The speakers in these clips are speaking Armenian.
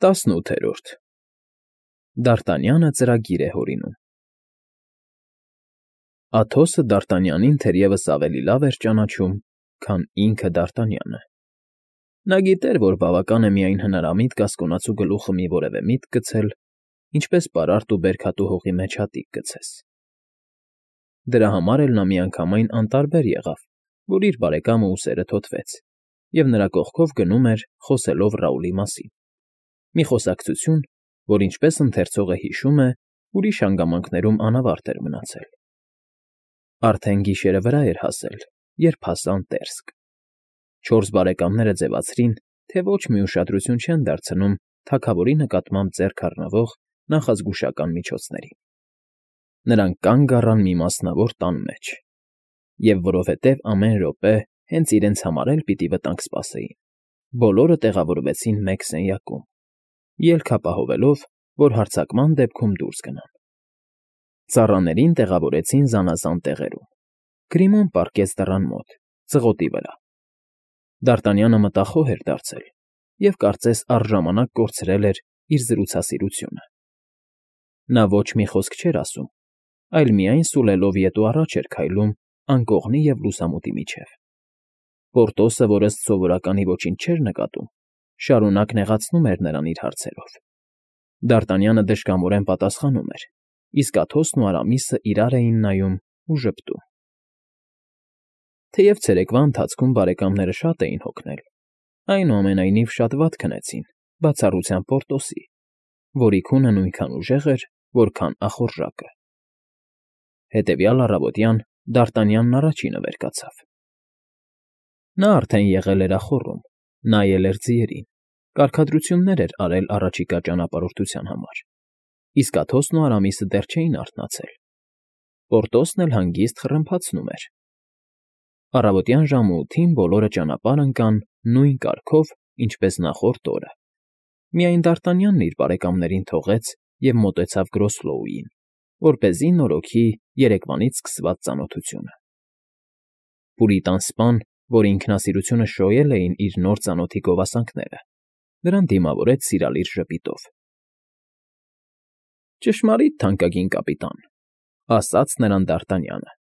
18 Դարտանյանը ծրագիր է հորինում Աթոսը Դարտանյանին թերևս ավելի լավ էր ճանաչում, քան ինքը Դարտանյանը։ Նա գիտեր, որ բավական է միայն հնարամիտ կասկոնացու գլուխը մի որևէ միտք գցել, ինչպես պարարտ ու բերքատու հողի մեջ հատիկ գցես։ Դրա համար էլ նա միանգամայն անտարբեր եղավ, որ իր բարեկամը ուսերը թոթվեց, և նրա կողքով գնում էր, խոսելով Ռաուլի մասին։ Մի խոսակցություն, որ ինչպես ընթերցողը հիշում է, ուրիշ հանգամանքներում անավարտ էր մնացել։ Արդեն գիշերը վրա էր հասել, երբ հասան Տերսկ։ Չորս բարեկամները ձևացրին, թե ոչ մի ուշադրություն չեն դարձնում թագավորի նկատմամբ ձեռք առնվող նախազգուշական միջոցներին։ Նրանք կանգ առան մի մասնավոր տան մեջ, և որովհետև ամեն րոպե հենց իրենց համար էլ պիտի վտանգ սպասեին, բոլորը տեղավորվեցին մեկ սենյակում, ելք ապահովելով, որ հարձակման դեպքում դուրս գնան։ Ծառաներին տեղավորեցին զանազան տեղերում։ Գրիմոն պառկեց դռան մոտ, ծղոտի վրա։ Դարտանյանը մտախոհ էր դարձել և կարծես առժամանակ կորցրել էր իր զրուցասիրությունը։ Նա ոչ մի խոսք չէր ասում, այլ միայն սուլելով ետ ու առաջ էր քայլում անկողնի և լուսամուտի միջև։ Պորտոսը, որ ըստ սովորականի ոչինչ չէր նկատում, շարունակ նեղացնում էր նրան իր հարցերով։ Դարտանյանը դժկամորեն պատասխանում էր, իսկ Աթոսն ու Արամիսը իրար էին նայում ու ժպտում։ Թեև ցերեկվա ընթացքում բարեկամները շատ էին հոգնել, այնուամենայնիվ շատ վատ քնեցին, բացառությամբ Պորտոսի, որի քունը նույնքան ուժեղ էր, որքան ախորժակը։ Հետևյալ առավոտյան Դարտանյանն առաջինը վեր կացավ։ Նա արդեն եղել էր ախոռում, նայել էր ձիերին, կարգադրություններ էր արել առաջիկա ճանապարհորդության համար, իսկ Աթոսն ու Արամիսը դեռ չէին արթնացել։ Պորտոսն էլ հանգիստ խռմփացնում էր։ Առավոտյան ժամը 8-ին բոլորը ճանապարհ ընկան նույն կարգով, ինչպես նախորդ օրը։ Միայն Դարտանյանն իր բարեկամներին թողեց և մոտեցավ Գրոսլոուին, որպեսզի նորոգի երեկվանից սկսված ծանոթությունը։ Պուրիտան սպան, որ ինքնասիրությունը շոյել էին իր նոր ծանոթի գովասանքները, նրան դիմավորեց սիրալիր ժպիտով։ ֊ Ճշմարիտ, թանկագին կապիտան,֊ ասաց նրան Դարտանյանը,֊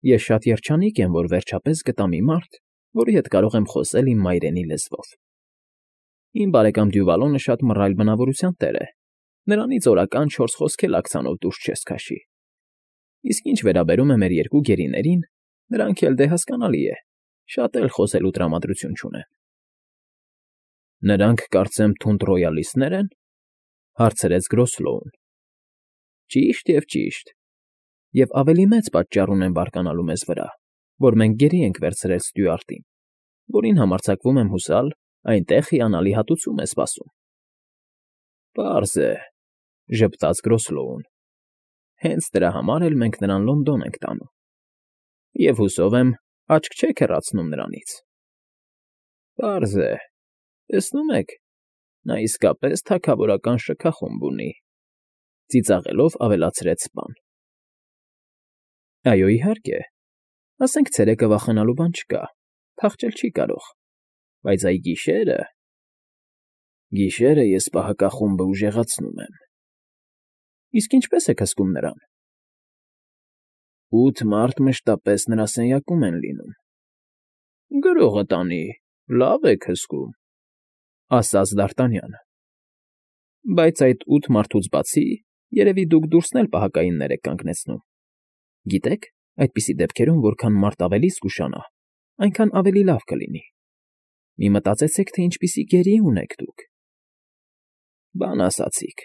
ես շատ երջանիկ եմ, որ վերջապես գտա մի մարդ, որի հետ կարող եմ խոսել իմ մայրենի լեզվով։ Իմ բարեկամ Դյուվալոնը շատ մռայլ բնավորության տեր է, նրանից օրական 4 խոսք էլ աքցանով դուրս չես քաշի։ Իսկ ինչ վերաբերում է մեր երկու գերիներին, նրանք էլ դե հասկանալի է, շատ էլ խոսելու տրամադրություն չունեն։ ֊ Նրանք, կարծեմ, թունդ ռոյալիստներ են,֊ հարցրեց Գրոսլոուն։ ֊ Ճիշտ և ճիշտ, և ավելի մեծ պատճառ ունեն բարկանալու մեզ վրա, որ մենք գերի ենք վերցրել Ստյուարտին, որին համարձակվում եմ հուսալ, այնտեղ հիանալի հատուցում է սպասում։ ֊ Պարզ է,֊ ժպտաց Գրոսլոուն,֊ հենց դրա համար էլ մենք նրան Լոնդոն ենք տանում, և հուսով եմ, աչք չեք հեռացնում նրանից։ ֊ Պարզ է, տեսնում եք, նա իսկապես թագավորական շքախումբ ունի,֊ ծիծաղելով ավելացրեց սպան։ ֊ Այո, իհարկե, ասենք ցերեկը վախենալու բան չկա, փախչել չի կարող, բայց այ գիշերը… Գիշերը ես պահակախումբը ուժեղացնում եմ։ ֊ Իսկ ինչպե՞ս եք հսկում նրան։ ֊ 8 մարդ մշտապես նրա սենյակում են լինում։ ֊ Գրողը տանի, լավ եք հսկում,֊ ասաց Դարտանյանը։ ֊ Բայց այդ 8 մարդուց բացի, երևի դուք դուրսն էլ պահակայիններ եք կանգնեցնում։ Գիտեք, այդպիսի դեպքերում որքան մարդ ավելի զգուշանա, այնքան ավելի լավ կլինի։ Մի մտածեցեք, թե ինչպիսի գերի ունեք դուք։ ֊ Բան ասացիք,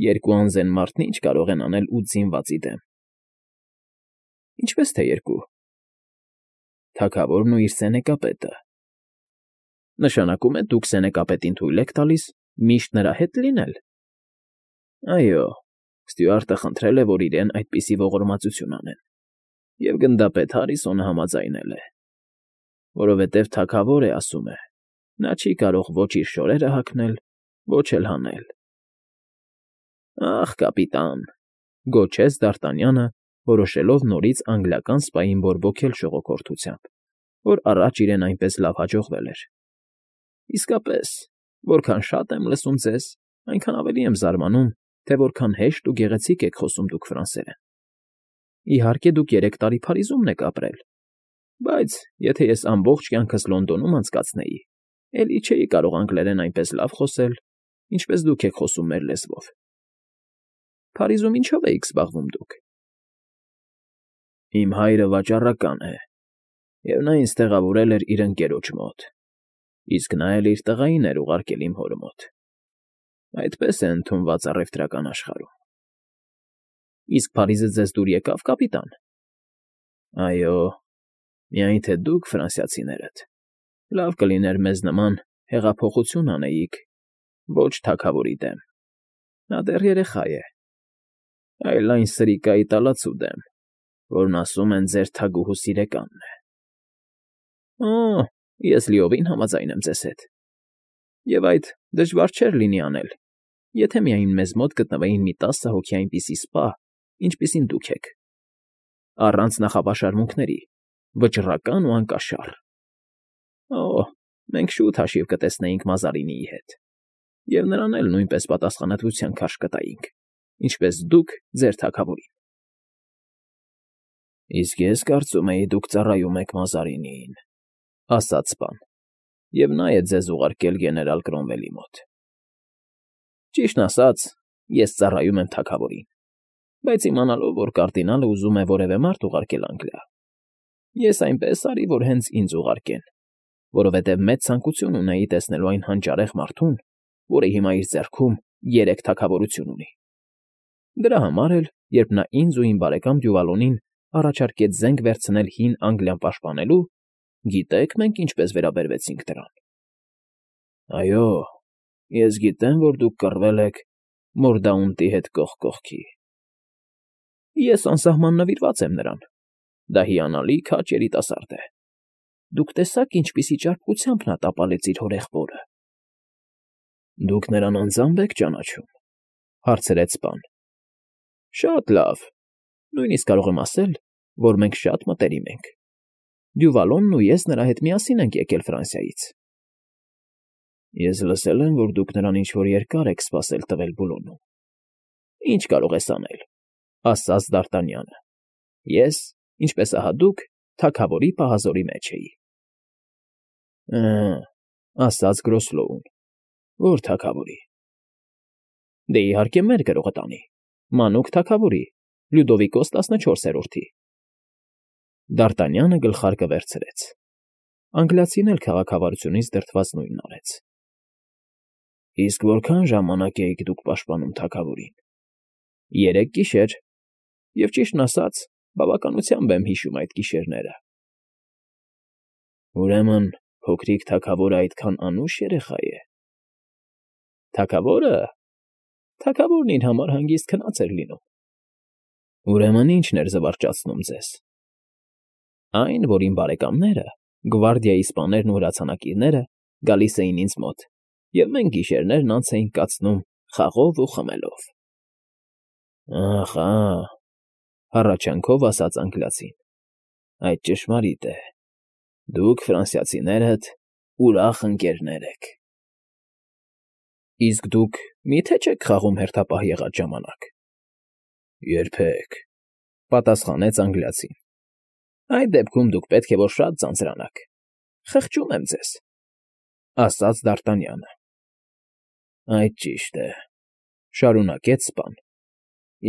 երկու անզեն մարդն ինչ կարող են անել 8 զինվածի դեմ։ ֊ Ինչպես թե երկու։ ֊ Թագավորն ու իր սենեկապետը։ ֊ Նշանակում է դուք սենեկապետին թույլ եք տալիս միշտ նրա հետ լինել։ ֊ Այո, Ստյուարտը խնդրել է, որ իրեն այդպիսի ողորմածություն անեն, և գնդապետ Հարիսոնը համաձայնել է, որովհետև թագավոր է, ասում է, նա չի կարող ոչ իր շորերը հագնել, ոչ էլ հանել։ ֊ Ախ, կապիտան,֊ գոչեց Դարտանյանը, որոշելով նորից անգլիական սպային բորբոքել շողոքորթությամբ, որ առաջ իրեն այնպես լավ հաջողվել էր։ ֊ Իսկապես, որքան շատ եմ լսում ձեզ, այնքան ավելի եմ զարմանում, թե որքան հեշտ ու գեղեցիկ եք խոսում դուք ֆրանսերեն։ Իհարկե, դուք 3 տարի Փարիզումն եք ապրել, բայց եթե ես ամբողջ կյանքս Լոնդոնում անցկացնեի, էլի չէի կարող անգլերեն այնպես լավ խոսել, ինչպես դուք եք խոսում մեր լեզվով։ Փարիզում ինչով էիք զբաղվում դուք։ Իմ հայրը վաճառական է, և նա ինձ տեղավորել էր իր ընկերոջ մոտ, իսկ նա էլ իր տղային էր ուղարկել իմ հոր մոտ։ Այդպես է ընդունված առևտրական աշխարհում։ Իսկ Փարիզը ձեզ դուր եկավ, կապիտան։ Այո, միայն թե դուք, ֆրանսիացիներդ, լավ կլիներ մեզ նման հեղափոխություն անեիք, ոչ թագավորի դեմ։ Նա դեռ երեխա է, այլ այն սրիկայի տալացու դեմ, որն ասում են ձեր թագուհու սիրեկանն է։ Օ, ես լիովին համաձայն եմ ձեզ հետ։ Եվ այդ դժվար չէր լինի անել, եթե միայն մեզ մոտ գտնվեին մի 10 հոգի այնպիսի սպա, ինչպիսին դուք եք, առանց նախապաշարմունքների, վճռական ու անկաշառ։ Օ, մենք շուտ հաշիվ կտեսնեինք Մազարինիի հետ, և նրան էլ նույնպես պատասխանատվության քարշ կտայինք, ինչպես դուք ձեր թագավորին։ Իսկ ես կարծում էի, դուք ծառայում եք Մազարինիին, ասաց սպան, և նա է ձեզ ուղարկել գեներալ Կրոմվելի մոտ։ Ճիշտն ասած, ես ծառայում եմ թագավորին, բայց իմանալով, որ կարդինալը ուզում է որևէ մարդ ուղարկել Անգլիա, ես այնպես արի, որ հենց ինձ ուղարկեն, որովհետև մեծ ցանկություն ունեի տեսնելու այն հանճարեղ մարդուն, որը հիմա իր ձեռքում 3 թագավորություն ունի։ Դրա համար էլ, երբ նա ինձ ու իմ բարեկամ Դյուվալոնին առաջարկեց զենք վերցնել հին Անգլիան պաշտպանելու, գիտեք մենք ինչպես վերաբերվեցինք դրան։ Այո, ես գիտեմ, որ դուք կռվել եք Մորդաունտի հետ կողք կողքի։ Ես անսահման նվիրված եմ նրան։ Դա հիանալի քաջ երիտասարդ է։ Դուք տեսաք, ինչպիսի ճարպկությամբ նա տապալեց իր հորեղբորը։ Դուք նրան անձամբ եք ճանաչում, հարցրեց սպան։ Շատ լավ, նույնիսկ կարող եմ ասել, որ մենք շատ մտերիմ ենք։ Դյուվալոնն ու ես նրա հետ միասին ենք եկել Ֆրանսիայից։ Ես լսել եմ, որ դուք նրան ինչ-որ երկար եք սպասել տվել Բուլոնում։ Ինչ կարող ես անել, ասաց Դ'Արտանյանը։ Ես, ինչպես ահա դուք, թագավորի պահազորի մեջ էի։ Ասաց Գրոսլոուն, որ թագավորի։ Դե իհարկե մեր գրողտանի, մանուկ թագավորի, Լյուդովիկոս 14-րդի։ Դ'Արտանյանը գլխարկը վերցրեց։ Անգլիացին էլ քաղաքավարությունից դրդված նույնն արեց։ Իսկ որքան ժամանակ էիք դուք պաշտպանում թագավորին։ 3 գիշեր, և ճիշտն ասած, բավականությամբ եմ հիշում այդ գիշերները։ Ուրեմն փոքրիկ թագավորը այդքան անուշ երեխա է։ Թագավորն իր համար հանգիստ քնած էր լինում։ Ուրեմն ի՞նչն էր զվարճացնում ձեզ։ Այն, որ իմ բարեկամները, գվարդիայի սպաներն ու հրացանակիրները գալիս էին ինձ մոտ, և մենք գիշերներն անց էինք կացնում խաղով ու խմելով։ Ախա, հառաչանքով ասաց անգլիացին, այդ ճշմարիտ է։ Դուք, ֆրանսիացիներդ, ուրախ ընկերներ եք։ Իսկ դուք մի՞թե չեք խաղում հերթապահ եղած ժամանակ։ Երբեք, պատասխանեց անգլիացին։ Այդ դեպքում դուք պետք է որ շատ ձանձրանաք։ Խղճում եմ ձեզ, ասաց Դ'Արտանյանը։ Այդ ճիշտ է, շարունակեց սպան։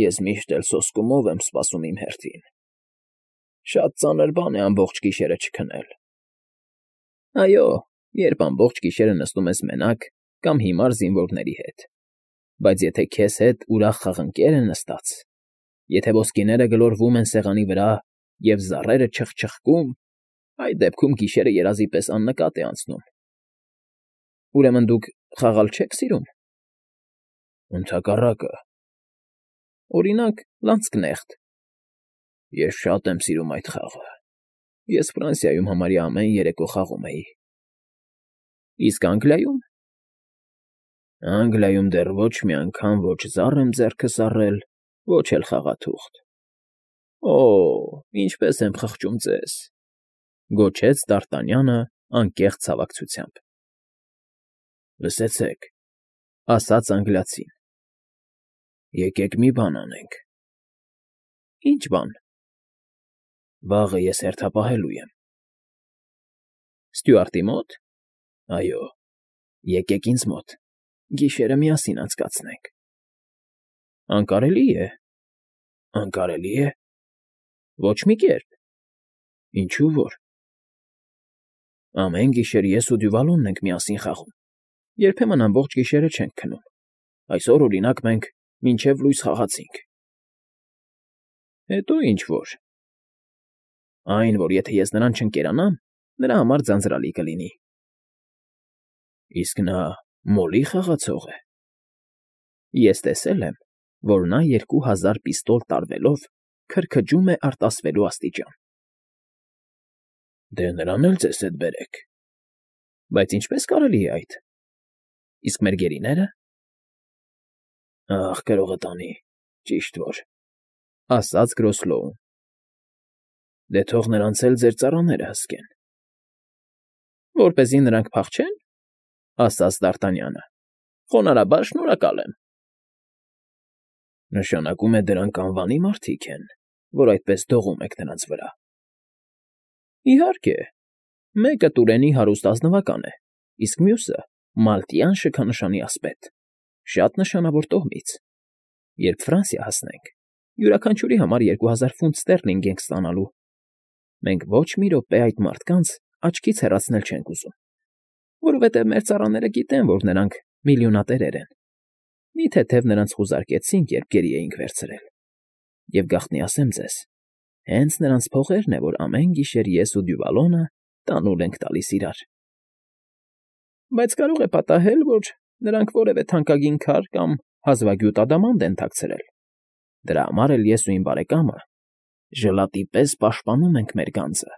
Ես միշտ էլ սոսկումով եմ սպասում իմ հերթին։ Շատ ծանր բան է ամբողջ գիշերը չքնել։ Այո, երբ ամբողջ գիշերը նստում ես մենակ կամ հիմար զինվորների հետ, բայց եթե քեզ հետ ուրախ խաղընկեր է նստած, եթե ոսկիները գլորվում են սեղանի վրա և զառերը չխչխկում, այդ դեպքում գիշերը երազի պես աննկատ է անցնում։ Ուրեմն դուք խաղալ չեք սիրում։ Ընդհակառակը։ Օրինակ, լանցկնեղտ։ Ես շատ եմ սիրում այդ խաղը։ Ես Ֆրանսիայում համարյա ամեն երեկո խաղում էի։ Իսկ Անգլիայում։ Անգլիայում դեռ ոչ մի անգամ ոչ զառ եմ ձեռքս առել, ոչ էլ խաղաթուղթ։ Օ, ինչպես եմ խղճում ձեզ, գոչեց Դ'Արտանյանը անկեղծ ցավակցությամբ։ Լսեցեք, ասաց անգլիացին։ Եկեք մի բան անենք։ Ինչ բան։ Վաղը ես հերթապահելու եմ։ Ստյուարտի մոտ։ Այո, եկեք ինձ մոտ, գիշերը միասին անցկացնենք։ Անկարելի է։ Անկարելի է։ Ոչ մի կերպ։ Ինչու որ։ Ամեն գիշեր ես ու Դյուվալոնն ենք միասին խաղում։ Երբեմն ամբողջ գիշերը չենք քնում։ Այսօր, օրինակ, մենք մինչև լույս խաղացինք։ Հետո ինչ որ։ Այն, որ եթե ես նրան չընկերանամ, նրա համար ձանձրալի կլինի։ Իսկ նա մոլի խաղացող է։ Ես տեսել եմ, որ նա 2000 պիստոլ տարվելով քրքջում է արտասվելու աստիճան։ Դե նրան էլ ձեզ հետ բերեք։ Բայց ինչպես կարելի է այդ։ Իսկ մեր գերիները։ Ախ, գրողը տանի, ճիշտ որ, ասաց Գրոսլոուն։ Դե թող նրանց էլ ձեր ծառաները հսկեն։ Որպեսզի նրանք փախչեն, ասաց Դ'Արտանյանը։ Խոնարհաբար շնորհակալ եմ։ Նշանակում է դրանք անվանի մարդիկ են, որ այդպես դողում եք նրանց վրա։ Իհարկե, մեկը Տուրենի հարուստ ազնվական է, իսկ մյուսը մալտյան շքանշանի ասպետ, շատ նշանավոր տոհմից։ Երբ Ֆրանսիա հասնենք, յուրաքանչյուրի համար 2000 ֆունտ ստերլինգ ենք ստանալու։ Մենք ոչ մի րոպե այդ մարդկանց աչքից հեռացնել չենք ուզում, որովհետև մեր ծառաները գիտեն, որ նրանք միլիոնատերեր են։ Մի թեթև նրանց խուզարկեցինք, երբ գերի էինք վերցրել։ Եվ գաղտնի ասեմ ձեզ, հենց նրանց փողերն է, որ ամեն գիշեր ես ու Դյուվալոնը տանուլ ենք տալիս իրար։ Բայց կարող է պատահել, որ նրանք որևէ թանկագին քար կամ հազվագյուտ ադամանդ են թաքցրել։ Դրա համար էլ ես ու իմ բարեկամը ժլատի պես պաշտպանում ենք մեր գանձը,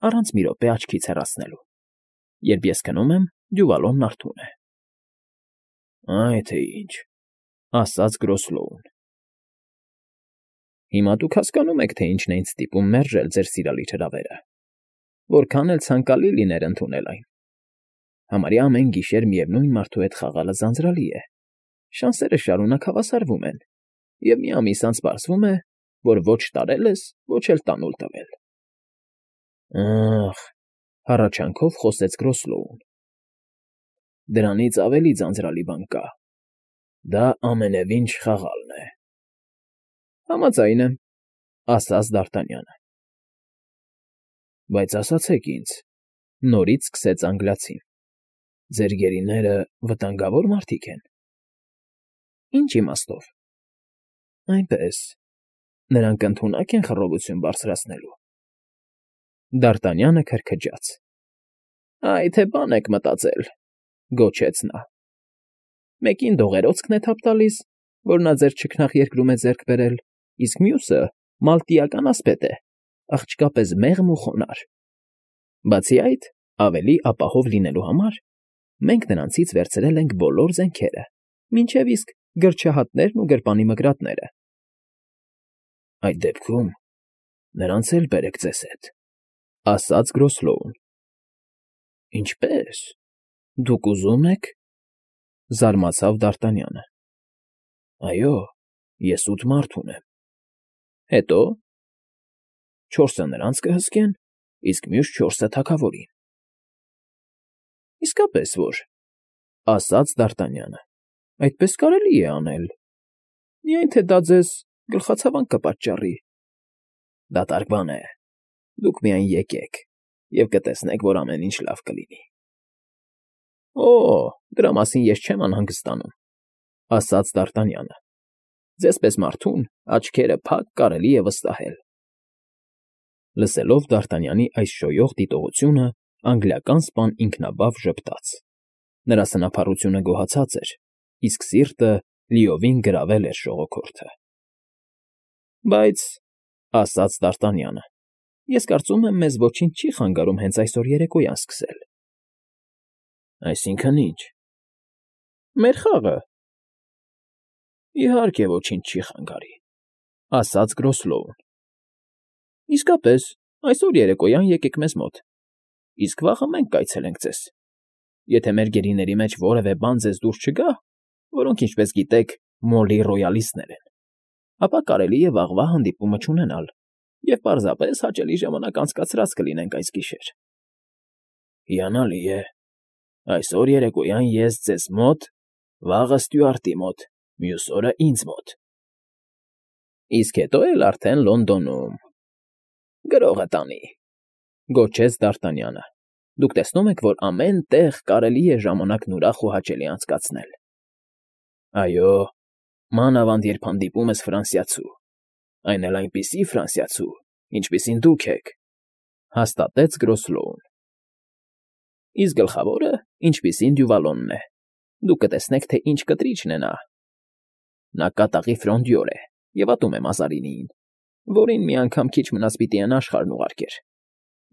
առանց մի րոպե աչքից հեռացնելու։ Երբ ես քնում եմ, Դյուվալոնն արթուն է։ Այ թե ինչ, ասաց Գրոսլոուն։ Հիմա դուք հասկանում եք, թե ինչն է ինձ ստիպում մերժել ձեր սիրալիր հրավերը։ Որքան էլ ցանկալի լիներ ընդունել այն։ Համարյա ամեն գիշեր միևնույն մարդու հետ խաղալը ձանձրալի է։ Շանսերը շարունակ հավասարվում են, և մի ամիս անց պարզվում է, որ ոչ տարել ես, ոչ էլ տանուլ տվել։ Ախ, հառաչանքով խոսեց Գրոսլոուն։ Դրանից ավելի ձանձրալի բան կա։ Դա ամենևին չխաղալն է։ Համաձայն եմ, ասաց Դ'Արտանյանը։ Բայց ասացեք ինձ, նորից սկսեց անգլիացին։ Ձեր գերիները վտանգավոր մարդիկ են։ Ինչ իմաստով։ Այնպես, նրանք ընդունակ են խռովություն բարձրացնելու։ Դ'Արտանյանը քրքջաց։ Այ թե բան եք մտածել, գոչեց նա։ Մեկին դողերոցքն է թափ տալիս, որ նա ձեր չքնաղ երկրում է ձեռք բերել, իսկ մյուսը մալտիական ասպետ է, աղջկա պես մեղմ ու խոնարհ։ Բացի այդ, ավելի ապահով լինելու համար մենք նրանցից վերցրել ենք բոլոր զենքերը, մինչև իսկ գրչահատներն ու գրպանի մկրատները։ Այդ դեպքում նրանց էլ բերեք ձեզ հետ, ասաց Գրոսլոուն։ Ինչպե՞ս։ Դուք ուզում եք, զարմացավ Դ'Արտանյանը։ Այո, ես 8 մարդ ունեմ։ Հետո 4-ը նրանց կհսկեն, իսկ մյուս 4-ը թագավորին։ Իսկապես որ, ասաց Դ'Արտանյանը, այդպես կարելի է անել։ Միայն թե դա ձեզ գլխացավանք կպատճառի։ Դատարկ բան է։ Դուք միայն եկեք, և կտեսնեք, որ ամեն ինչ լավ կլինի։ Օ, դրա մասին ես չեմ անհանգստանում, ասաց Դ'Արտանյանը։ Ձեզպես մարդուն աչքերը փակ կարելի է վստահել։ Լսելով Դ'Արտանյանի այս շոյող դիտողությունը, անգլիական սպան ինքնաբավ ժպտաց։ Նրա սնափառությունը գոհացած էր, իսկ սիրտը լիովին գրավել էր ժողոքորթը։ Բայց, ասաց Դ'Արտանյանը, ես կարծում եմ, մեզ ոչինչ չի խանգարում հենց այսօր երեկոյան սկսել։ Այսինքն ի՞նչ։ Մեր խաղը։ Իհարկե ոչինչ չի խանգարի, ասաց Գրոսլոուն։ Իսկապես, այսօր երեկոյան եկեք մեզ մոտ, իսկ վաղը մենք կայցելենք ձեզ։ Եթե մեր գերիների մեջ որևէ բան ձեզ դուր չգա, որոնք, ինչպես գիտեք, Մոլի ռոյալիստներ են, ապա կարելի է վաղվա հանդիպումը չունենալ, և պարզապես հաճելի ժամանակ անցկացրած կլինենք այս գիշեր։ Հիանալի է։ Այսօր երեկոյան ես ձեզ մոտ, վաղը Ստյուարտի մոտ, մյուս օրը ինձ մոտ։ Իսկ հետո էլ արդեն Լոնդոնում։ Գրողը տանի, գոչեց Դ'Արտանյանը։ Դուք տեսնում եք, որ ամեն տեղ կարելի է ժամանակն ուրախ ու հաճելի անցկացնել։ Այո, մանավանդ երբ հանդիպում ես ֆրանսիացու, այն էլ այնպիսի ֆրանսիացու, ինչպիսին դուք եք, հաստատեց Գրոսլոուն։ Իսկ գլխավորը, ինչպիսին Դյուվալոնն է, դուք կտեսնեք, թե ինչ կտրիչն է նա։ Նա կատաղի ֆրոնդյոր է և ատում է Մազարինիին, որին մի անգամ քիչ մնաց պիտի են աշխարհն ուղարկեր։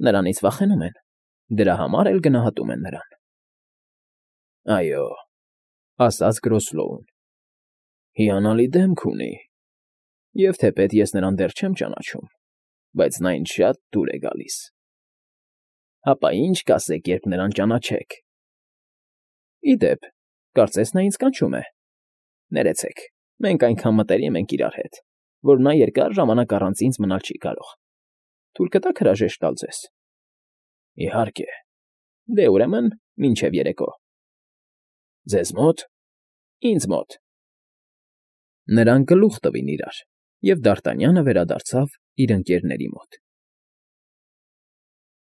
Նրանից վախենում են, դրա համար էլ գնահատում են նրան։ Այո, ասաց Գրոսլոուն, հիանալի դեմք ունի, և թեպետ ես նրան դեռ չեմ ճանաչում, բայց նա ինձ շատ դուր է գալիս։ Հապա ինչ կասեք, երբ նրան ճանաչեք։ Ի դեպ, կարծես նա ինձ կանչում է։ Ներեցեք, մենք այնքան մտերիմ ենք իրար հետ, որ նա երկար ժամանակ առանց ինձ մնալ չի կարող։ Թույլ կտաք հրաժեշտ տալ ձեզ։ Իհարկե։ Դե ուրեմն, մինչև երեկո։ Ձեզ մոտ, ինձ մոտ։ Նրանք գլուխ տվին իրար, և Դ'Արտանյանը վերադարձավ իր ընկերների մոտ։